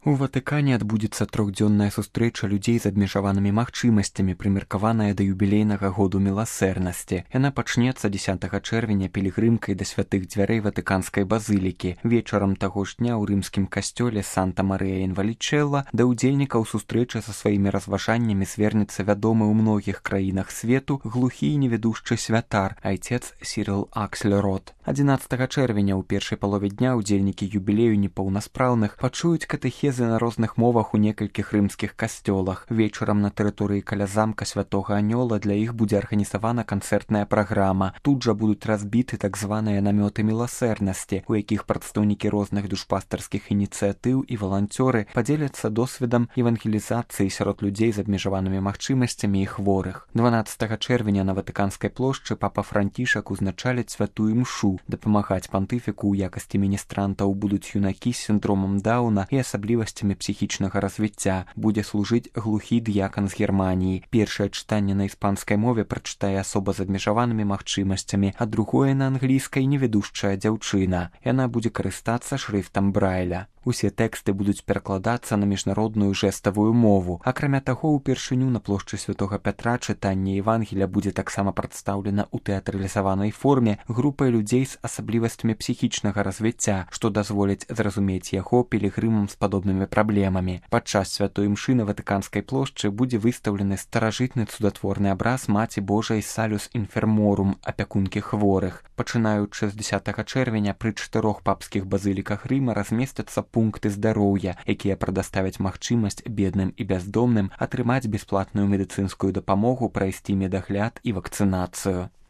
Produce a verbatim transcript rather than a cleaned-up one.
У Ватыкане адбудзецца трохдзённая сустрэча людзей з абмежаванымі магчымасцямі, прымеркаваная да юбілейнага году міласэрнасці. Яна пачнецца дзесятага чэрвеня пілігрымкай да святых дзвярэй ватыканскай базылікі. Вечарам таго ж дня ў рымскім касцёле Санта-Марыя ін Валічэлла да ўдзельнікаў сустрэчы са сваімі разважаннямі звернецца вядомы ў многіх краінах свету глухі і невядушчы святар, айцец Сірыл Аксельрод. адзінаццатага чэрвеня ў першай палове дня ўдзельнікі юбілею непаўнаспраўных пачуюць катэхезы на розных мовах у некалькіх рымскіх касцёлах. Вечарам на тэрыторыі каля замка святога Анёла для іх будзе арганізавана канцэртная праграма. Тут жа будуць разбіты так званыя намёты міласэрнасці, у якіх прадстаўнікі розных душпастарскіх ініцыятыў і валанцёры падзеляцца досведам евангелізацыі сярод людзей з абмежаванымі магчымасцямі і хворых. дванаццатага чэрвеня на Ватыканскай плошчы папа Францішак узначаліць святую імшу. Дапамагаць пантыфіку ў якасці міністрантаў будуць юнакі з сіндромам Дауна і асаблівасцямі псіхічнага развіцця. Будзе служыць глухі дыякан з Германіі. Першае чытанне на іспанскай мове прачытае асоба з абмежаванымі магчымасцямі, а другое на англійскай невядушчая дзяўчына. Яна будзе карыстацца шрыфтам Брайля. Усе тэксты будуць перакладацца на міжнародную жэставую мову. Акрамя таго, упершыню на плошчы святога Пятра чытанне Евангелія будзе таксама прадстаўлена ў тэатралізаванай форме групай людзей з асаблівасцямі псіхічнага развіцця, што дазволіць зразумець яго пілігрымам з падобнымі праблемамі. Падчас святой імшы на Ватыканскай плошчы будзе выстаўлены старажытны цудатворны абраз Маці Божай Салюс Інферморум, апякункі хворых. Пачынаючы з дзесятага чэрвеня пры чатырох папскіх базыліках Рыма размесцяцца пункты здароўя, якія прадаставяць магчымасць бедным і бяздомным атрымаць бясплатную медыцынскую дапамогу, прайсці медагляд і вакцынацыю.